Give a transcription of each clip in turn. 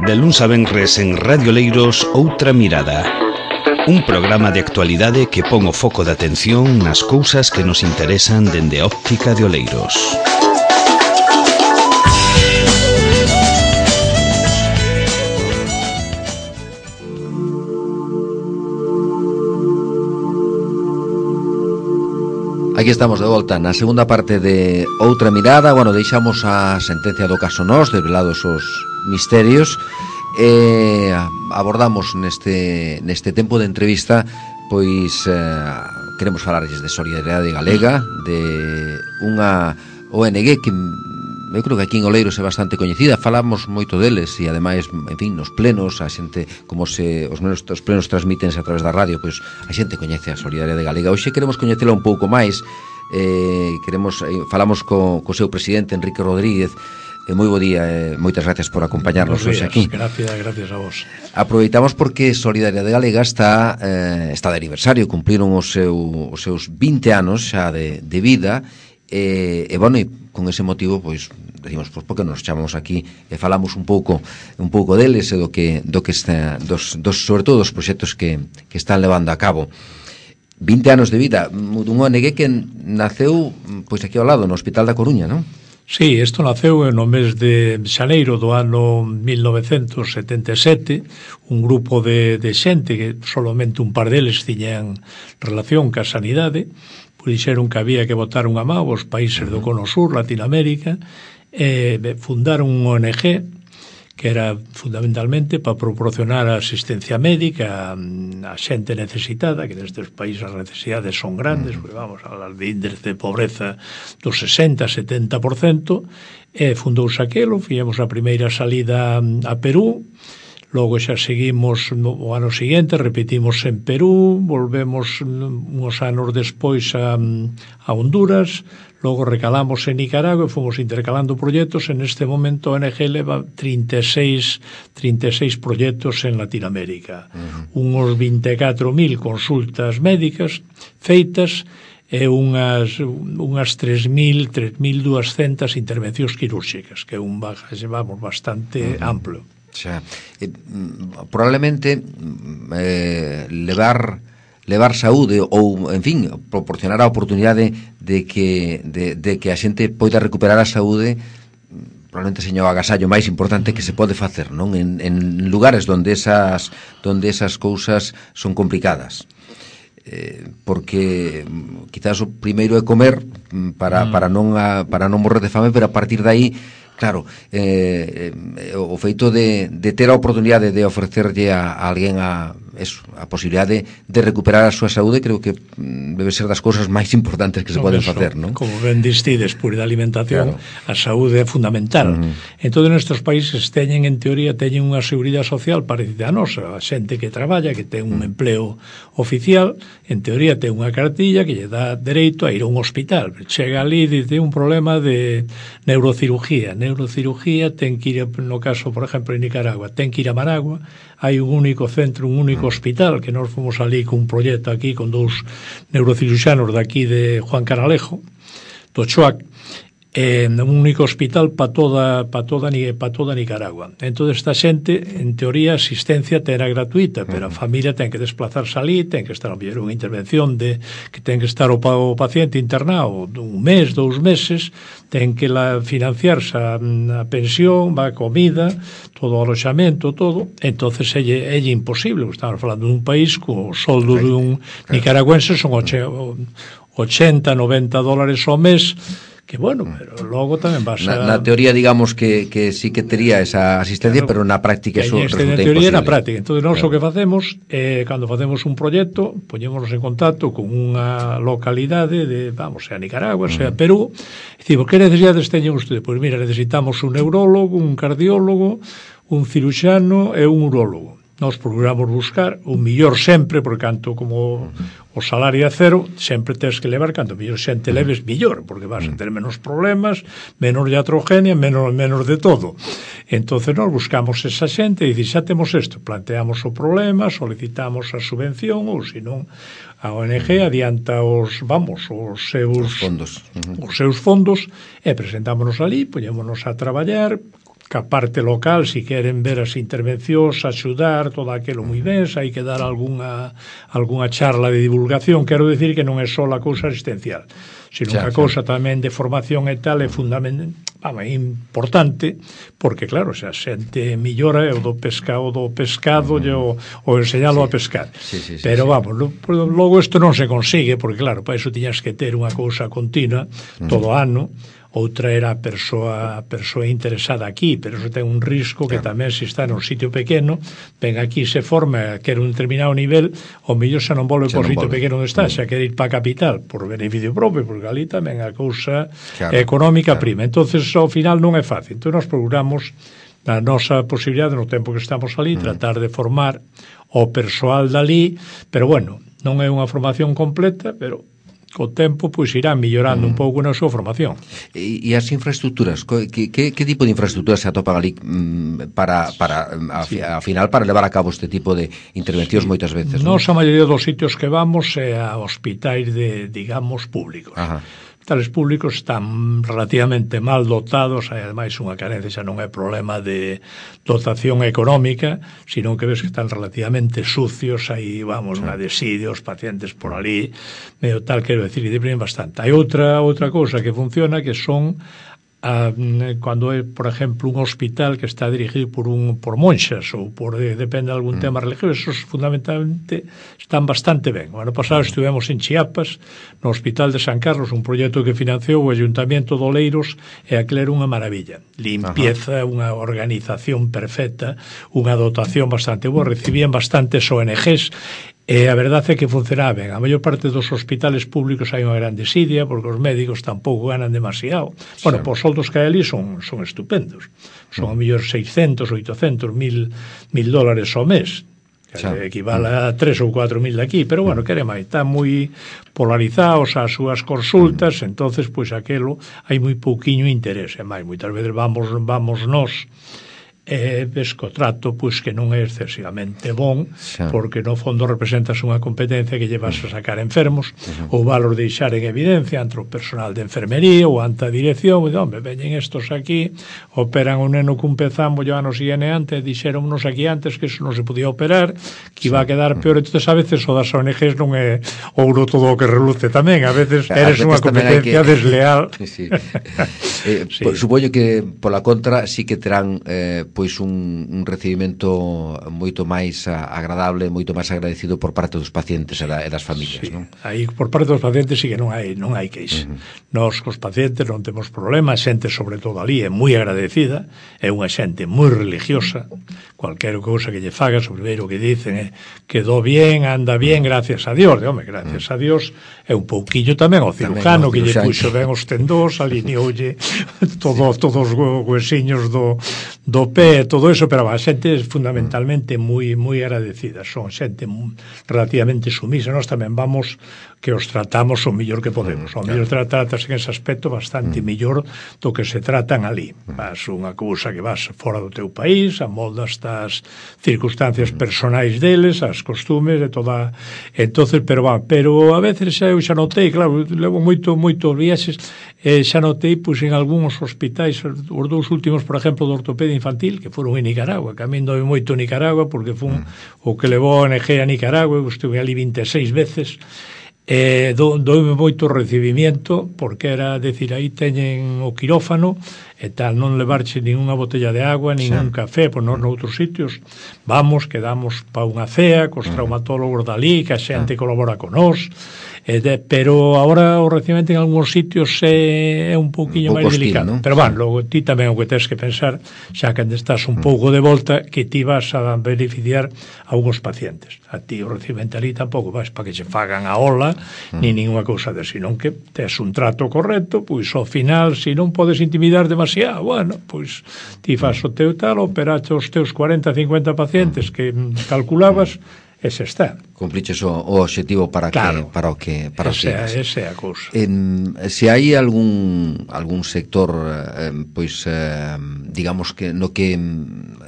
De luns a venres en Radio Oleiros, Outra Mirada. Un programa de actualidade que pon o foco de atención nas cousas que nos interesan dende a óptica de Oleiros. Aquí estamos de volta na segunda parte de Outra Mirada. Bueno, deixamos a sentencia do caso Nós, desvelados os misterios, e abordamos neste tempo de entrevista, pois queremos falarlles de Solidariedade Galega, de unha ONG que eu creo que aquí en Oleiros é bastante coñecida. Falamos moito deles e ademais, en fin, nos plenos a xente, como se os plenos transmítense a través da radio, pois a xente coñece a Solidariedade Galega. Hoxe queremos coñecela un pouco máis. Falamos co seu presidente, Enrique Rodríguez. Moi bo día, moitas gracias por acompañarnos hoxe aquí. Gracias a vos. Aproveitamos porque Solidariedade Galega está de aniversario, cumpliron os seus 20 anos xa de vida. E bueno, e con ese motivo pois decimos, pois porque nos chamamos aquí e falamos un pouco deles e do que está, sobre todo dos proxectos que están levando a cabo. 20 anos de vida dun ONG que naceu pois aquí ao lado, no Hospital da Coruña, non? Sí, isto naceu no mes de xaneiro do ano 1977, un grupo de xente que solamente un par deles tiñan relación ca sanidade, pois dixeron que había que botar unha mão aos países do Cono Sur, Latinoamérica, e fundaron un ONG que era fundamentalmente para proporcionar asistencia médica a xente necesitada, que nestes países as necesidades son grandes, porque vamos a hablar de índice de pobreza do 60-70%, e fundouse aquelo, fixemos a primeira salida a Perú, logo xa seguimos o ano seguinte, repetimos en Perú, volvemos uns anos despois a Honduras, logo recalamos en Nicaragua e fomos intercalando proxectos. En este momento a ONG leva 36 proxectos en Latinoamérica, unhos 24.000 consultas médicas feitas e unhas 3.200 intervencións quirúrxicas, que é un bagaxe, vamos, bastante amplo. Xa, probablemente levar saúde ou, en fin, proporcionar a oportunidade de que a xente poida recuperar a saúde, probablemente seña o agasallo máis importante que se pode facer, non? En lugares onde esas cousas son complicadas. Porque quizás o primeiro é comer para non morrer de fame, pero a partir de aí, claro, o feito de ter a oportunidade de ofrecerlle a alguén a posibilidade de recuperar a súa saúde, creo que debe ser das cousas máis importantes que se poden facer, non? Como ben distides, por da alimentación, claro. A saúde é fundamental. Entón, nestes países teñen unha seguridade social parecida a nosa. A xente que traballa, que ten un empleo oficial, en teoría ten unha cartilla que lle dá dereito a ir a un hospital. Chega ali e dice un problema de neurocirugía, ten que ir, no caso, por exemplo, en Nicaragua, ten que ir a Managua, hai un único centro, un único hospital, que nós fomos ali con un proxecto aquí con dous neurociruxanos daqui de Juan Canalejo, do Choac, un único hospital para toda Nicaragua. Entón, esta xente, en teoría, a asistencia terá gratuita, pero a familia ten que desplazarse ali, ten que estar a ver unha intervención que ten que estar o paciente internado un mes, 2 meses, ten que financiarse a pensión, a comida, todo o aloxamento, todo. Entonces é imposible. Estamos falando dun país co soldo dun nicaragüense son $80-90 ao mes, que bueno, pero logo tamén vas a... Na teoría, digamos que sí que tería esa asistencia, claro, pero na práctica eso resulta imposible. Na teoría na práctica. Entón, nós o que facemos, cando facemos un proxecto, poñémonos en contacto con unha localidade sea Nicaragua, sea Perú, e dicimos, que necesidades teñen ustedes? Pois mira, necesitamos un neurólogo, un cardiólogo, un ciruxano e un urólogo. Nós procuramos buscar o millor sempre, porque canto como o salario é cero, sempre tens que levar, canto mellor xente leves, millor, porque vas a ter menos problemas, menos iatrogenia, menos de todo. Entonces nós buscamos esa xente e dicir, xa temos isto, planteamos o problema, solicitamos a subvención, ou senón a ONG adianta os seus fondos e presentámonos ali, poñémonos a traballar, ca parte local, si queren ver as intervencións, axudar, todo aquilo moi ben, se hai que dar algunha charla de divulgación, quero decir que non é só a cousa asistencial, sino que a cousa tamén de formación e tal é fundamental, é importante, porque claro, se a xente millora é o do pescado e o enseñalo a pescar. Pero vamos, logo isto non se consigue, porque claro, para iso tiñas que ter unha cousa continua todo ano. Outra era a persoa interesada aquí, pero eso ten un risco que tamén se está nun sitio pequeno, ven aquí, se forma, quer un determinado nivel, o mellor xa non volve por sitio pequeno onde está, xa quer ir para a capital por beneficio propio, porque ali tamén a cousa económica prima. Entonces, ao final non é fácil. Entón, nos procuramos a nosa posibilidade no tempo que estamos ali, tratar de formar o persoal dali, pero bueno, non é unha formación completa, pero co tempo pois irán millorando un pouco na súa formación. E as infraestructuras, que tipo de infraestructuras se atopan ali para a final para levar a cabo este tipo de intervencións moitas veces? Nos a maioría dos sitios que vamos é a hospitais de, digamos, públicos. Hospitales públicos están relativamente mal dotados, hai ademais unha carencia, xa non é problema de dotación económica, sino que ves que están relativamente sucios, hai, vamos, unha desidia, os pacientes por ali, medio tal, quero decir, e deprimen bastante. Hai outra cousa que funciona, que son cando é, por exemplo, un hospital que está dirigido por monxas ou depende de algún tema religioso, esos fundamentalmente están bastante ben. O ano pasado estivemos en Chiapas, no Hospital de San Carlos, un proxecto que financiou o Ayuntamiento de Oleiros, e aquilo era unha maravilla. Limpieza, unha organización perfecta, unha dotación bastante boa, recibían bastantes ONGs, e a verdade é que funcionaba ben. A maior parte dos hospitales públicos hai unha gran desidia, porque os médicos tampouco ganan demasiado. Bueno, os soldos que hai ali son estupendos. Son a mellor 600, 800, $1,000 ao mes, que equivale a 3 ou 4 mil daqui, pero bueno, quere máis, están moi polarizados as súas consultas, entonces, pois aquelo, hai moi pouquiño interese, máis, moitas veces vamos nós, ves que o trato pois que non é excesivamente bon, porque no fondo representas unha competencia que llevas a sacar enfermos, ou valor deixar en evidencia entre o personal de enfermería ou ante a dirección, e home, veñen estos aquí, operan un neno cun pezambo e ano siguen antes, dixéronnos aquí antes que eso non se podía operar, que iba a quedar peor. Entonces a veces o das ONGs non é ouro todo o que reluce tamén, a veces eres unha competencia desleal. Supoño que pola contra sí que terán pois un recibimento moito máis agradable, moito máis agradecido por parte dos pacientes e das familias, non? Aí por parte dos pacientes sí que non hai queixa. Nós cos pacientes non temos problema, a xente sobre todo ali é moi agradecida, é unha xente moi religiosa, cualquier cousa que lle fagas, o primeiro que dicen é quedou bien, anda bien, gracias a Dios. Home, gracias a Dios é un pouquiño tamén o cirujano que lle puxo ben os tendós, alineoulle todos os huesiños do pé, todo eso, pero a xente é fundamentalmente moi agradecida, son xente relativamente sumisa. Nós tamén vamos que os tratamos o mellor que podemos, o mellor tratas en ese aspecto bastante mellor do que se tratan ali. Vas unha cousa que vas fora do teu país, amoldas as circunstancias personais deles, as costumes e toda, entonces, pero a veces eu xa notei, claro, levo moito viaxes, xa notei, pois, en algúns hospitais, os dous últimos, por exemplo, de ortopedia infantil, que foron en Nicaragua, que a mí doi moito Nicaragua, porque fun o que levou a ONG a Nicaragua, eu estuve ali 26 veces, doume moito recibimiento, porque era, decir, aí teñen o quirófano, e tal, non levarche ninguna botella de agua, ningún café, pois non noutros sitios, vamos, quedamos pa unha cea, cos traumatólogos dali, que a xente colabora con nós, pero agora o recibimento en algúns sitios é un pouquiño máis delicado, pero logo ti tamén o que tens que pensar, xa que estás un pouco de volta, que ti vas a beneficiar a uns pacientes. A ti o recibimento ali tampouco vas para que se fagan a ola ni ninguna cousa de, senón que tes un trato correcto, pois ao final, se non podes intimidar demasiado, bueno, pois ti fas o teu tal, operaste os teus 40, 50 pacientes que calculabas, ese está. Cumpliches o objetivo para claro, o que esa é a cousa. Se hai algún sector digamos que no que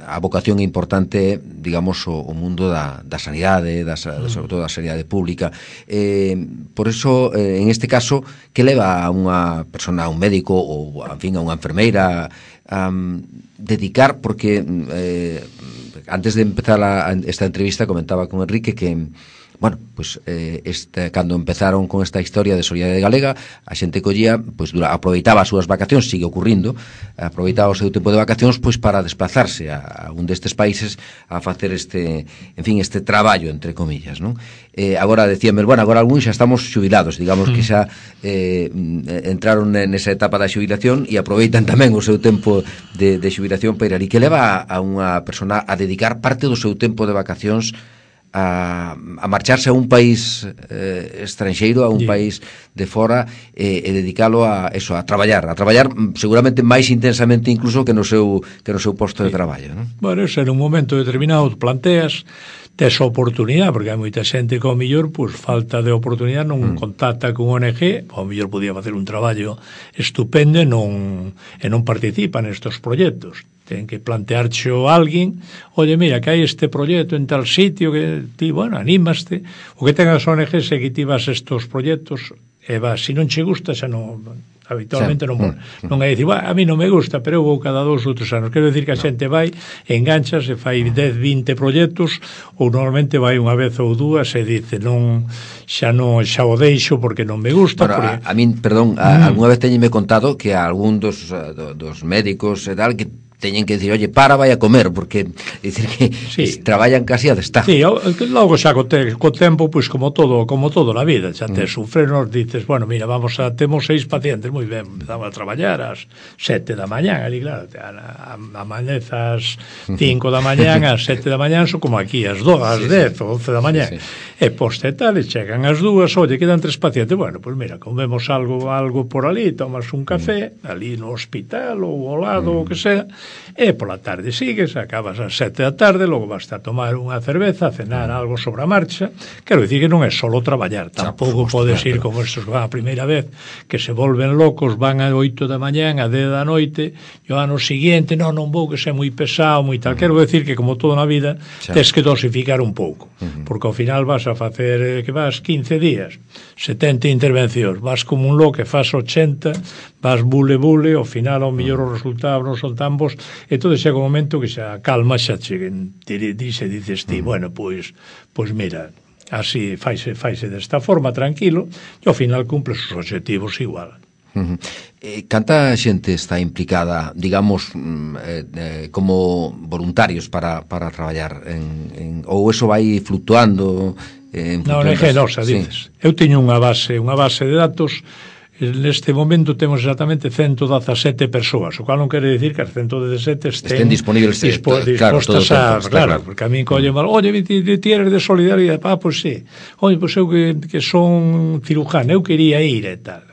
a vocación é importante, digamos o mundo da sanidade, sobre todo da sanidade pública, por eso en este caso, que leva a unha persona, a un médico ou en fin a unha enfermeira a dedicar, porque antes de empezar esta entrevista comentaba con Enrique que, bueno, pues cando empezaron con esta historia de Solidariedade Galega, a xente collía, pues aproveitaba as súas vacacións, sigue ocurrindo, aproveitaba o seu tempo de vacacións pois para desplazarse a un destes países a facer este traballo, entre comillas, non? Agora decíame, bueno, agora algúns xa estamos xubilados, digamos que xa entraron nesa etapa da xubilación e aproveitan tamén o seu tempo de xubilación para ir, e que leva a unha persona a dedicar parte do seu tempo de vacacións a marcharse a un país estranxeiro, a un país de fora, e dedicalo a eso, a traballar seguramente máis intensamente incluso que no seu posto de traballo, non? Bueno, eso en un momento determinado planteas, tes a oportunidade, porque hai moita xente que ao mellor, pues, falta de oportunidade, non contacta con ONG, ao mellor podía facer un traballo estupendo e non participa nestes proxectos. Ten que plantearcho a alguén, oye, mira, que hai este proxecto en tal sitio, que ti, bueno, anímaste, o que ten as ONGs é que ti vas estos proxectos e vas, se non che gusta, xa non, habitualmente non é dicir, a mí non me gusta, pero eu vou cada 2 ou 3 anos. Quero dicir que a xente vai, engancha, se fai 10, 20 proxectos, ou normalmente vai unha vez ou dúas e dice, xa o deixo porque non me gusta. Bueno, a min, perdón, algunha vez teñeme contado que a algún dos médicos e tal, que teñen que decir, oye, vai a comer, porque dicir que traballan casi a destajo. Sí, logo xa co tempo, pois como todo na vida, xa te sufrenos, dices, bueno, mira, temos 6 pacientes, moi ben, empezamos a traballar ás 7 da mañán, ali, claro, amanezas 5 da mañán, ás 7 da mañán, son como aquí, ás 10 ou 11 da mañán, e poste tal, e chegan as 2, oye, quedan 3 pacientes, bueno, pois mira, comemos algo por ali, tomas un café, ali no hospital, ou ao lado, o que sea, e pola tarde sigues, acabas ás 7 da tarde, logo vas a tomar unha cerveza, a cenar algo sobre a marcha. Quero dicir que non é solo traballar, tampouco podes ir como estos que van a primeira vez, que se volven locos, van a 8 da mañán, a 10 da noite, e o ano seguinte, non vou, que sei moi pesado, moi tal. Quero dicir que como todo na vida, tens que dosificar un pouco, porque ao final vas a facer, que vas 15 días, 70 intervencións, vas como un loco, que faz 80, vas bule, ao final ao mellor os resultados non son tan bons, e todo chega un momento que xa calma, xa cheguen, dices ti, bueno, pois mira, así faise desta forma, tranquilo, e ao final cumples os objetivos igual. Canta xente está implicada, digamos, como voluntarios para traballar ou eso vai fluctuando? Non, é genosa, dices. Eu teño unha base de datos. Neste momento temos exactamente 117 persoas, o cual non quere dicir que as 117 estén disponibles dispostas claro, porque a min colle mal, oye, ti eres de Solidariedade, pois sí, oye, pois eu que son cirujano, eu quería ir e tal,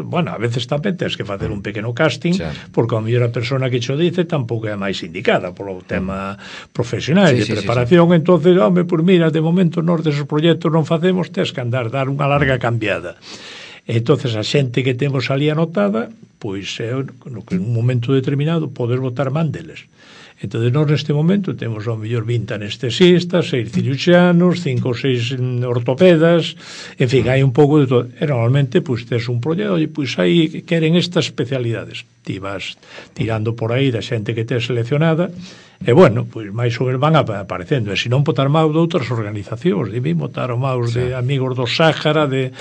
bueno, a veces tamén tens que facer un pequeno casting, porque a mellor a persona que cho dice tampouco é a máis indicada polo tema profesional de preparación, entonces, pois mira, de momento nós deses proxectos non facemos, tens que dar unha larga cambiada. Entonces a xente que temos ali anotada, pois en un momento determinado podes botar man deles. Entonces nós neste momento temos ao mellor 20 anestesistas, 6 ciruxanos, 5 ou 6 ortopedas, en fin, hai un pouco de todo. E normalmente, pois, tes un proxecto, e pois aí queren estas especialidades. Ti vas tirando por aí da xente que tes seleccionada, e bueno, pois máis ou menos van aparecendo, e se non botar máis de outras organizacións, de mí botaron máis de Amigos do Sáhara, de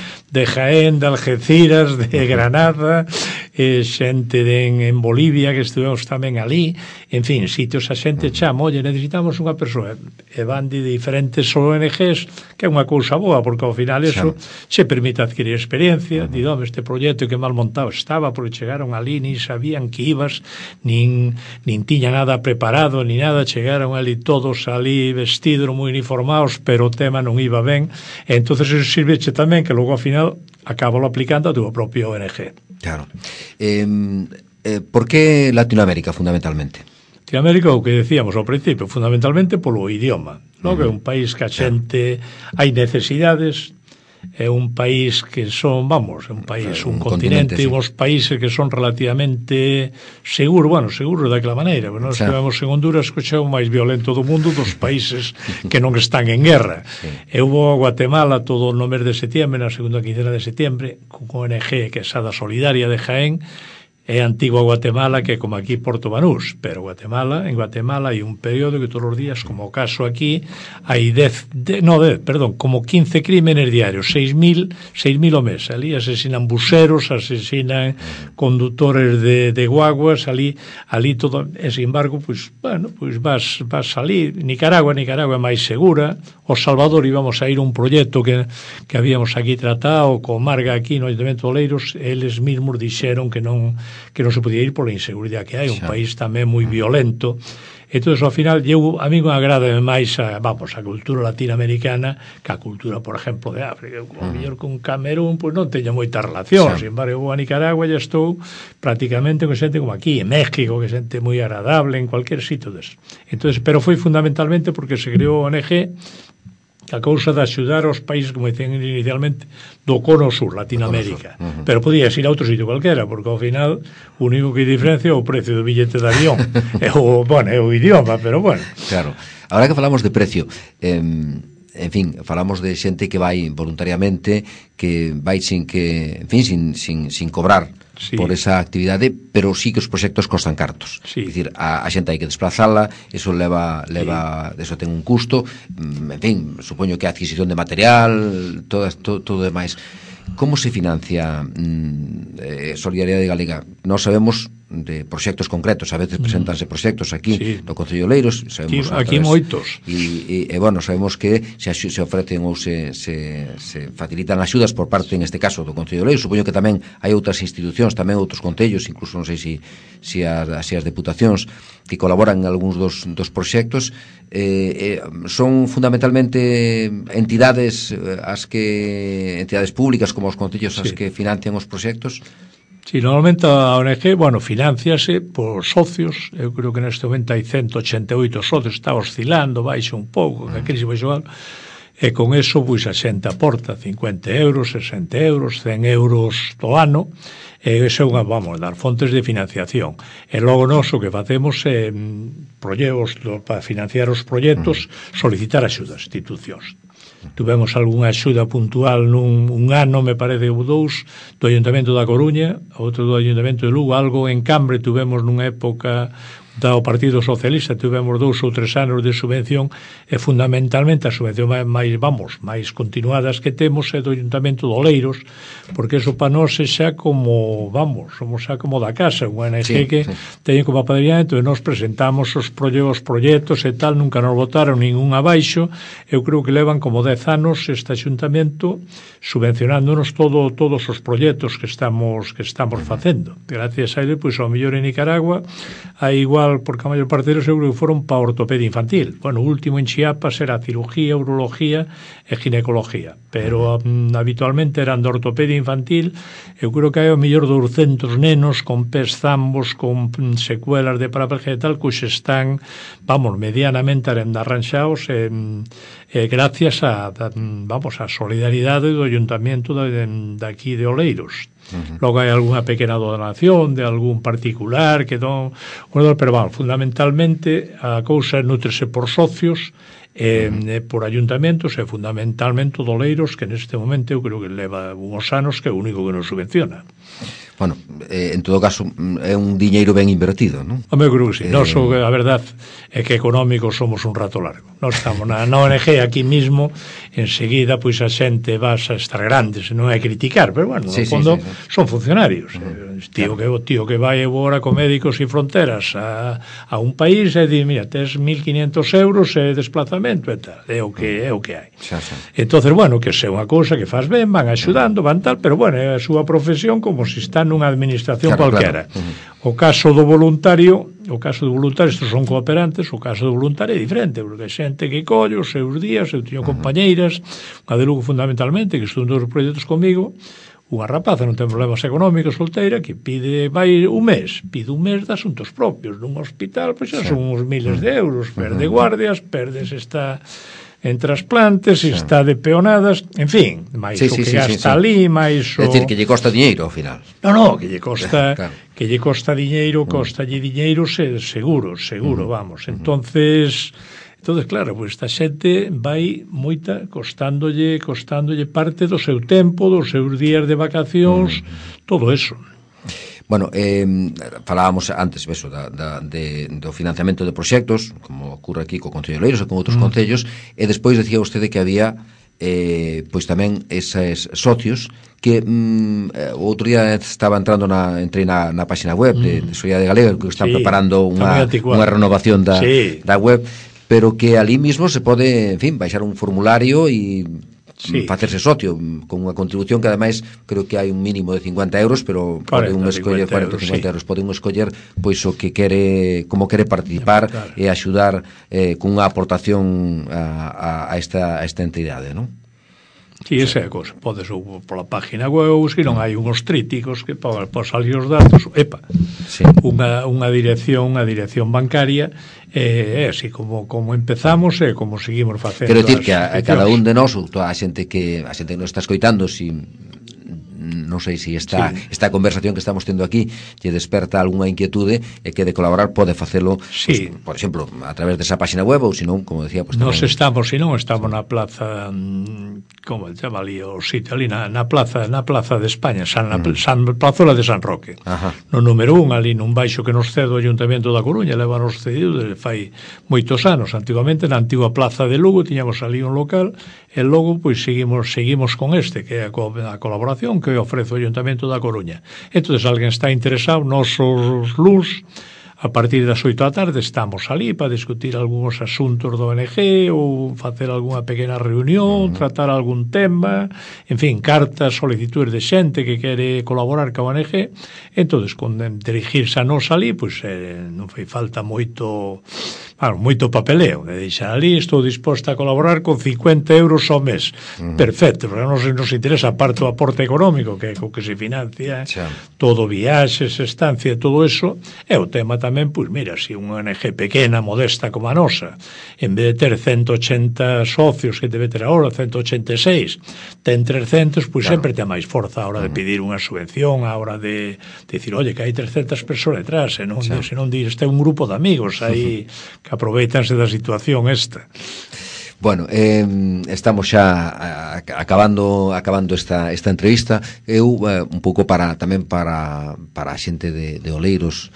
Jaén, de Algeciras, de Granada, xente en Bolivia que estuvemos tamén ali, en fin, sitios a xente chama, oye, necesitamos unha persoa, e van de diferentes ONGs, que é unha cousa boa, porque ao final eso se permite adquirir experiencia, di, este proxecto que mal montado estaba, porque chegaron ali, nin sabían que ibas, nin tiña nada preparado, ni nada, chegaron ali todos ali vestidos, moi uniformados, pero o tema non iba ben, e entonces eso sirveche tamén que logo ao final acabalo aplicando a túa propia ONG. Claro. ¿Por qué Latinoamérica, fundamentalmente? Latinoamérica, o que decíamos ao principio, fundamentalmente polo idioma, non? Que é un país que a xente hai necesidades, é un país que son, vamos, un país, un continente, sí. Uns países que son relativamente seguros, bueno, seguros daquela maneira, porque nós estivemos en Honduras, que é o máis violento do mundo dos países que non están en guerra. Sí. Eu vou a Guatemala todo no mes de setembro, na segunda quincena de setembro, con ONG que é Sada Solidaria de Jaén, é antigua Guatemala, que é como aquí Porto Banús, pero en Guatemala hai un período que todos os días, como o caso aquí, hai como 15 crímenes diarios, 6.000 o mes. Ali asesinan buseros, asesinan conductores de guaguas, ali todo, e sin embargo, pues vas ali, Nicaragua é máis segura. O Salvador íbamos a ir a un proxecto que habíamos aquí tratado co Marga aquí no Ayuntamiento de Oleiros, eles mesmos dixeron que non se podía ir pola inseguridade que hai, un país tamén moi violento. Entón, ao final, a mí me agrada máis a cultura latinoamericana que a cultura, por exemplo, de África. O mellor con Camerún, pois non teño moita relación. Sin embargo, eu vou a Nicaragua e estou prácticamente con xente como aquí, en México, que xente moi agradable, en cualquier sitio deso. Entón, pero foi fundamentalmente porque se creou a ONG a cousa de axudar aos países, como dicen inicialmente, do Cono Sur, Latinoamérica. Pero podías ir a outro sitio cualquera, porque ao final o único que diferencia é o precio do billete de avión. é o idioma, pero bueno. Claro. Ahora que falamos de precio, en fin, falamos de xente que vai voluntariamente, que vai sin cobrar, sí, por esa actividade, pero sí que os proxectos costan cartos. Sí. É dicir, a xente hai que desplazala, eso leva sí, eso ten un custo, en fin, supoño que a adquisición de material, todo demais. Como se financia Solidariedade Galega? Nós sabemos de proxectos concretos, a veces presentanse proxectos aquí, sí, no Concello de Oleiros, sabemos aquí moitos, e bueno, sabemos que se ofrecen ou se facilitan axudas por parte, en este caso, do Concello de Oleiros. Supoño que tamén hai outras institucións, tamén outros concellos, incluso non sei se as deputacións que colaboran en algúns dos proxectos. Son fundamentalmente entidades públicas como os concellos as que financian os proxectos. Sí, normalmente a ONG, financiase por socios. Eu creo que neste momento hai 188 socios, está oscilando, baixa un pouco, que a crise baixa algo, e con eso, pois, a xente aporta 50 euros, 60 euros, 100 euros do ano, e iso é dar fontes de financiación. E logo nós o que facemos é, para financiar os proxectos, solicitar axudas, institucións. Tuvemos algunha axuda puntual un ano, me parece, ou dous, do Ayuntamento da Coruña, outro do Ayuntamento de Lugo, algo en Cambre tuvemos nunha época do Partido Socialista, tuvemos 2 ou 3 anos de subvención, e fundamentalmente a subvención máis continuadas que temos é do Ayuntamento de Oleiros, porque eso para nós é xa como, somos xa como da casa, unha ONG que teñen como apadrinamento, e nós presentamos os proxectos e tal, nunca nos votaron ningún abaixo. Eu creo que levan como 10 anos este Ayuntamento subvencionándonos todos os proxectos que estamos facendo. Gracias a ele, pois, ao mellor en Nicaragua hai igual, porque a maior parte deles eu creo que foron para ortopedia infantil. O último en Chiapas era cirugía, urología e ginecología, pero habitualmente eran de ortopedia infantil. Eu creo que hai ao mellor 200 nenos con pés zambos, con secuelas de paraplegia e tal, que están, medianamente arranxados, gracias a solidaridade do Ayuntamiento de aquí de Oleiros. Logo hai algunha pequena donación de algún particular que pero fundamentalmente a cousa nutrese por socios, por ayuntamentos, e fundamentalmente Oleiros, que neste momento eu creo que leva uns anos que é o único que nos subvenciona. Bueno, en todo caso, é un diñeiro ben invertido, non? Eu creo que sí. Nós, a verdad, é que económicos somos un rato largo. Nós estamos na ONG aquí mismo, enseguida, pois a xente vas a estar grandes, non é criticar, pero bueno, no fondo son funcionarios. O tío que vai agora con Médicos Sin Fronteras a un país e di, mira, tes 1.500 euros de desplazamento e tal, é o que hai. Entonces, que é unha cousa que faz ben, van axudando, van tal, pero é a súa profesión como se está nunha administración cualquera. O caso do voluntario, estes son cooperantes, o caso do voluntario é diferente, porque é xente que colle os seus días. Eu teño compañeiras, unha de Lugo fundamentalmente, que estudou os proxectos comigo, unha rapaza non ten problemas económicos, solteira, que vai un mes de asuntos propios nun hospital, pois xa son uns miles de euros, perde guardias, perdes esta en trasplantes, está de peonadas, en fin, máis o que gasta ali, máis o... É dicir, que lle costa diñeiro ao final. No, que lle costa que lle costa diñeiro, costalle diñeiro seguro, vamos. Entonces, claro, pues esta xente vai moita costándolle parte do seu tempo, dos seus días de vacacións, todo eso. Bueno, falábamos antes do financiamento de proxectos, como ocorre aquí co Concello de Oleiros e con outros concellos, e despois decía vostede que había pois tamén eses socios que o outro día entrei na página web de Solidariedade Galega, que están preparando unha renovación da web, pero que ali mismo se pode, en fin, baixar un formulario e facerse socio con unha contribución que ademais creo que hai un mínimo de 50 euros, pero pode un escoller 40 ou 50 euros, pode un escoller pois o que quere, como quere participar e axudar con unha aportación a esta entidade, non? Sí, esa é a cosa. Podes pola página web, se non hai unhos tríticos que para salir os datos, unha dirección bancaria, é así como empezamos e como seguimos facendo. Quero dicir que a cada un de nós, toda a xente que nos está escoitando, non sei se esta conversación que estamos tendo aquí lle desperta algunha inquietude e que de colaborar pode facelo, pues, por exemplo, a través desa página web ou senón, como decía, pues, nos estamos na plaza, como se chama ali o sitio ali na plaza de España, Plazola de San Roque. No número 1 ali nun baixo que nos cede o Ayuntamiento da Coruña, levanos cedido desde fai moitos anos. Antigamente na antigua plaza de Lugo tiñamos ali un local e logo pois seguimos con que é a colaboración que ofrece o Ayuntamiento da Coruña. Entón, se alguén está interesado, nosos LUS, a partir das 8 da tarde estamos ali para discutir algúns asuntos do ONG ou facer algunha pequena reunión, tratar algún tema, en fin, cartas, solicitudes de xente que quere colaborar ca ONG. Entón, con dirigirse a nos ali, pois non fai falta moito papeleo, de deixar ali, estou disposta a colaborar con 50 euros ao mes. Perfecto, porque nos interesa parte do aporte económico, que é co que se financia todo, viaxes, estancia, todo eso. É o tema tamén, pois mira, se unha ONG pequena, modesta como a nosa, en vez de ter 180 socios que debe ter agora, 186, ten 300, pois sempre ten máis forza a hora de pedir unha subvención, a hora de dicir, oye, que hai 300 persoas detrás, se non dir, este é un grupo de amigos aí que aproveitanse da situación esta. Bueno, estamos xa acabando esta entrevista. Eu un pouco tamén para a xente de Oleiros,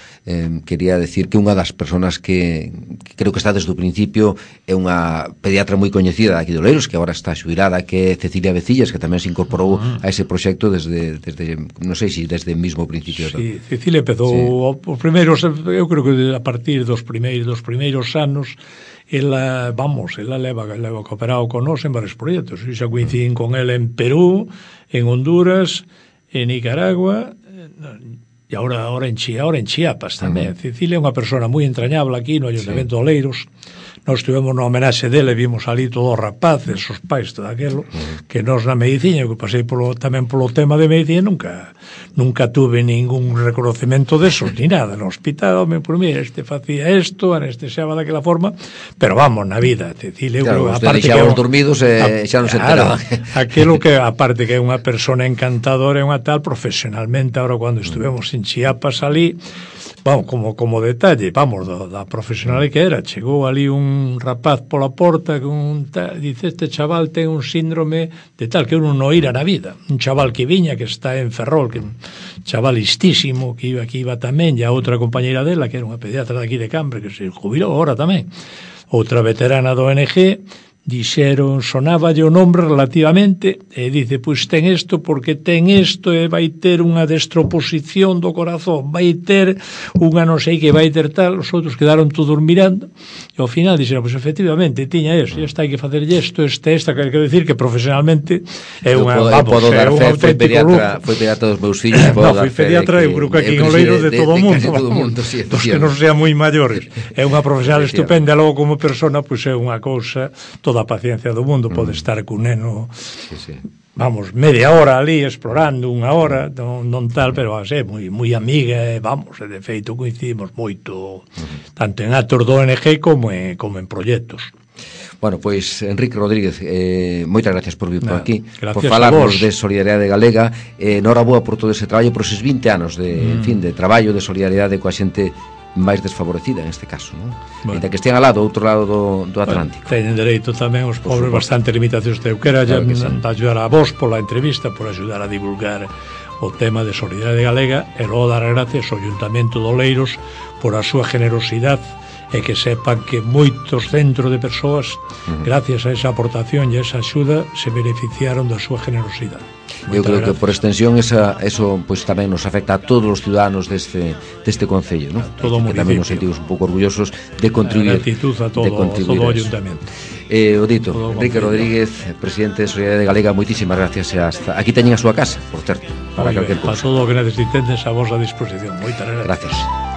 quería decir que unha das persoas que creo que está desde o principio é unha pediatra moi coñecida aquí de Oleiros, que agora está xubilada, que é Cecilia Vecillas, que tamén se incorporou a ese proxecto desde non sei se desde o mismo principio. Sí, Cecilia empezou os primeiros, eu creo que a partir dos primeiros anos ela leva cooperado con nós en varios proxectos. Xa coincidín con ela en Perú, en Honduras, en Nicaragua e ahora en Chiapas tamén. Cecilia é unha persona moi entrañable aquí no Ayuntamiento de Oleiros. Nós tivemos unha homenaxe dele, vimos ali todos os rapaces, os pais, todo aquilo, que nós na medicina, que pasei tamén polo tema de medicina, nunca tuve ningún reconocimento desos, ni nada. No hospital, por mí, facía isto, anestesiaba daquela forma, pero vamos, na vida, Cecilia, claro, aparte que os dormidos xa non se enteraban. Aquilo que, aparte que é unha persona encantadora, é unha tal, profesionalmente, ahora cando estuvemos en Chiapas ali, vamos, como detalle, vamos, da profesional que era, chegou ali un rapaz pola porta dice, este chaval ten un síndrome de tal que uno non ira na vida, un chaval que viña, que está en Ferrol, que un chaval listísimo, que iba tamén, e a outra compañeira dela, que era unha pediatra daqui de Cambre, que se jubilou agora tamén, outra veterana do ONG, dixeron, sonáballe o nombre relativamente, e dice, pois ten isto porque ten isto e vai ter unha destroposición do corazón, vai ter unha non sei que vai ter tal. Os outros quedaron todos mirando e ao final dixeron, pois efectivamente tiña isto, e hai que facerlle isto, esta, que quero dicir que profesionalmente é unha, vamos, é un auténtico lujo. Foi pediatra dos meus fillos, fui pediatra, eu creo que aquí en Oleiros de todo o mundo, dos que non sean moi maiores. É unha profesional estupenda, logo como persona, pois é unha cousa, toda a paciencia do mundo, pode estar cun neno vamos, media hora ali explorando, unha hora, non tal, pero é moi amiga, vamos, de feito coincidimos moito, tanto en actos do ONG como en proxectos. Bueno, pois Enrique Rodríguez, moitas gracias por vir por aquí, por gracias falarnos de Solidariedade Galega. Noraboa por todo ese traballo, por eses 20 anos en fin, de traballo de solidariedade coa xente máis desfavorecida en este caso, non? Bueno. Ainda que estean ao outro lado do Atlántico. Teñen dereito tamén os pobres bastante limitacións de euskera, claro ayudar a vos pola entrevista, por ayudar a divulgar o tema de Solidariedade Galega, e logo dar gracias ao Ayuntamento de Oleiros por a súa generosidade, e que sepan que moitos centros de persoas, gracias a esa aportación e a esa axuda, se beneficiaron da súa generosidade. Eu creo que por extensión eso pues tamén nos afecta a todos os ciudadanos deste concello, ¿no? Todo o municipio. Que tamén nos sentimos un pouco orgullosos de contribuir. Gratitud a todo o ayuntamento. O dito, Enrique Rodríguez, presidente de Solidariedade Galega, moitísimas gracias. Aquí teñen a súa casa, por certo, para todo o que necesitedes a vosa disposición. Moitas gracias. Gracias.